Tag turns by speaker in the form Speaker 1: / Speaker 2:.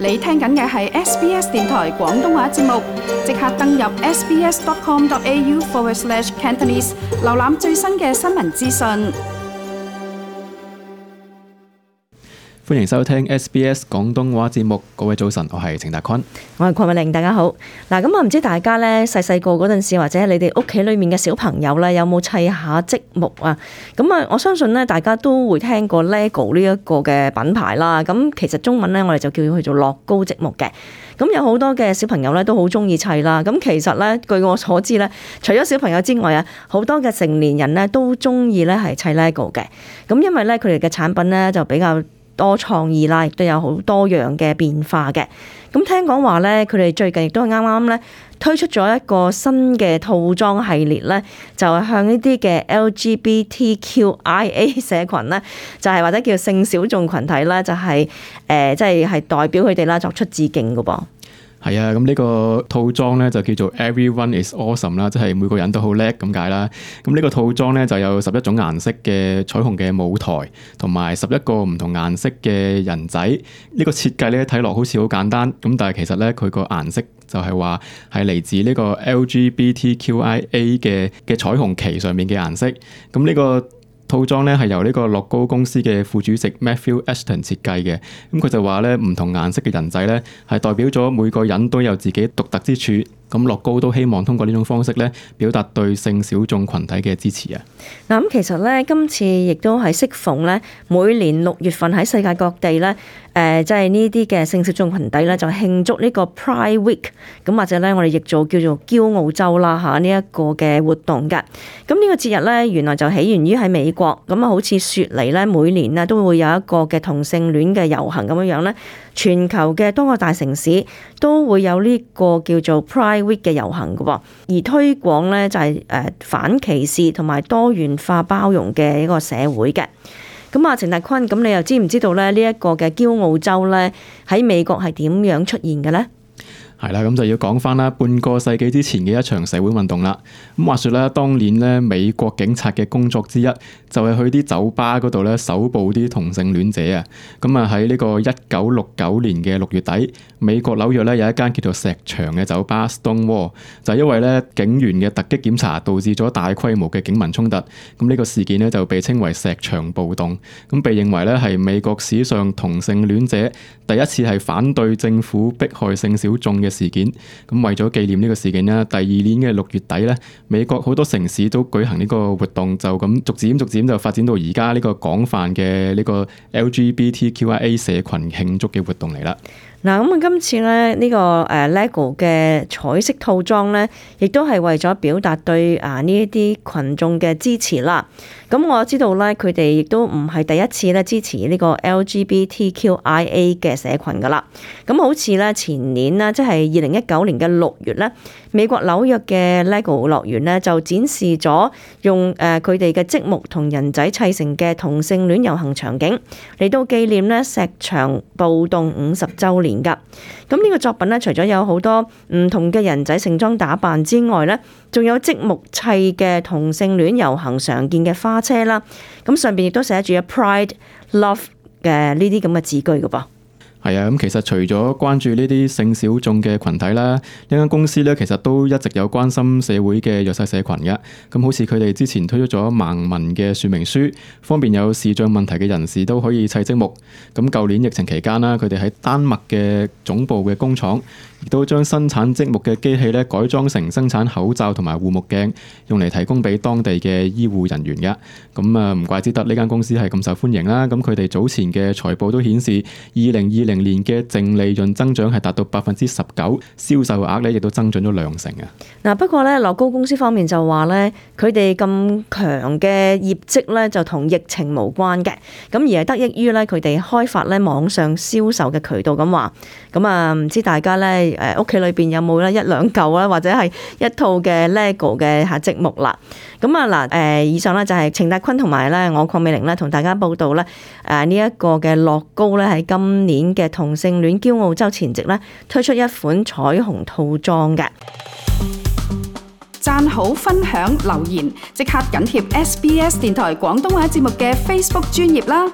Speaker 1: 你聽緊嘅係 SBS 電台廣東話節目，即刻登入 sbs.com.au/Cantonese 瀏覽最新嘅新聞資訊。
Speaker 2: 歡迎收聽 SBS 廣東話節目，各位早晨，我係程達坤，
Speaker 3: 我係鄺美玲，大家好。嗱，咁唔知大家咧細個嗰陣時，或者你哋屋企裏面嘅小朋友咧，有冇砌下積木啊？咁啊，我相信咧，大家都會聽過 LEGO 呢一個嘅品牌啦。咁其實中文咧，我哋就叫佢做樂高積木嘅。咁有好多嘅小朋友咧都好中意砌啦。咁其實咧，據我所知咧，除咗小朋友之外啊，好多嘅成年人咧都中意咧係砌 LEGO 嘅。咁因為咧佢哋嘅產品咧就比較多創意啦，亦都有好多樣嘅變化嘅。咁聽講話咧，佢哋最近亦都係啱啱咧推出咗一個新嘅套裝系列咧，就係向呢啲嘅 LGBTQIA 社群咧，就係或者叫性小眾群體啦，就係即係代表佢哋啦作出致敬㗎噃。
Speaker 2: 係啊，咁呢個套裝咧就叫做 Everyone is Awesome 啦，即係每個人都好叻咁解啦。咁呢個套裝咧就有11種顏色嘅彩虹嘅舞台，同埋11個唔同顏色嘅人仔。呢個設計咧睇落好似好簡單，咁但係其實咧佢個顏色就係話係嚟自呢個 LGBTQIA 嘅彩虹旗上面嘅顏色。咁呢個套裝咧係由呢個樂高公司嘅副主席 Matthew Ashton 設計嘅，咁佢就話咧唔同顏色嘅人仔咧係代表咗每個人都有自己獨特之處，咁樂高都希望通過呢種方式咧表達對性小眾群體嘅支持啊。
Speaker 3: 嗱，咁其實咧今次亦都係適逢咧每年6月份喺世界各地咧即係呢啲嘅性小眾群體咧就慶祝呢個 Pride Week， 咁或者咧我哋亦做叫做驕傲週啦嚇呢一個嘅活動㗎。咁呢個節日咧原來就起源於喺美國，咁啊好似雪梨咧每年咧都會有一個嘅同性戀嘅遊行咁樣樣咧，全球嘅多個大城市都會有呢個叫做 Pride Week 嘅遊行㗎喎，而推廣咧就係反歧視同埋多元化包容嘅一個社會嘅。咁啊，程達坤，咁你又知唔知道咧呢一個嘅驕傲週咧喺美國係點樣出現嘅咧？
Speaker 2: 係啦，咁就要講翻啦，半個世紀之前嘅一場社會運動啦。咁話說咧，當年咧美國警察嘅工作之一就係去啲酒吧嗰度咧搜捕啲同性戀者啊。咁啊喺呢個1969年嘅6月底，美國紐約咧有一間叫做石牆嘅酒吧 Stonewall， 就係因為咧警員嘅突擊檢查導致咗大規模嘅警民衝突。咁呢個事件咧就被稱為石牆暴動，咁被認為咧係美國史上同性戀者第一次係反對政府迫害性小眾嘅事件。咁為咗紀念呢個事件咧，第二年嘅6月底咧，美國好多城市都舉行呢個活動，就咁逐漸就發展到而家呢個廣泛嘅呢個 LGBTQIA 社群慶祝嘅活動嚟啦。
Speaker 3: 嗱，咁啊，今次咧呢個LEGO 嘅彩色套裝咧，亦都係為咗表達對呢一啲群眾嘅支持啦。咁我知道咧，佢哋亦都唔係第一次咧支持呢個 LGBTQIA 嘅社群噶啦。咁好似咧前年啦，即係2019年嘅6月咧，美國紐約嘅 LEGO 樂園咧就展示咗用佢哋嘅積木同人仔砌成嘅同性戀遊行場景，嚟到紀念咧石牆暴動50週年㗎。咁呢個作品咧，除咗有好多唔同嘅人仔盛裝打扮之外咧，仲有積木砌嘅同性戀遊行常見嘅花車啦。咁上邊亦都寫住 Pride Love 嘅呢啲咁嘅字句㗎噃。
Speaker 2: 係啊，咁其實除咗關注呢啲性小眾嘅群體啦，呢間公司咧其實都一直有關心社會嘅弱勢社群嘅。咁好似佢哋之前推出咗盲文嘅說明書，方便有視障問題嘅人士都可以砌積木。咁舊年疫情期間啦，佢哋喺丹麥嘅總部嘅工廠，亦都將生產積木嘅機器咧改裝成生產口罩同埋護目鏡，用嚟提供俾當地嘅醫護人員嘅。咁啊，唔怪之得呢間公司係咁受歡迎啦。咁佢哋早前嘅財報都顯示，2020年嘅淨利潤增長係達到19%，銷售額咧亦都增長咗2成啊。
Speaker 3: 嗱，不過咧，樂高公司方面就話咧，佢哋咁強嘅業績咧就同疫情無關嘅，咁而係得益於咧佢哋開發咧網上銷售嘅渠道咁話。咁啊，唔知大家咧屋企裏邊有冇咧1-2嚿啦，或者係一套嘅 LEGO 嘅積木啦。咁啊嗱，以上咧就係程達坤同埋咧我鄺美玲咧同大家報道咧呢一個嘅樂高咧喺今年嘅同性戀驕傲週前夕咧推出一款彩虹套裝嘅。
Speaker 1: 讚好、分享、留言，即刻緊貼SBS 電台廣東話節目嘅 Facebook 專頁啦！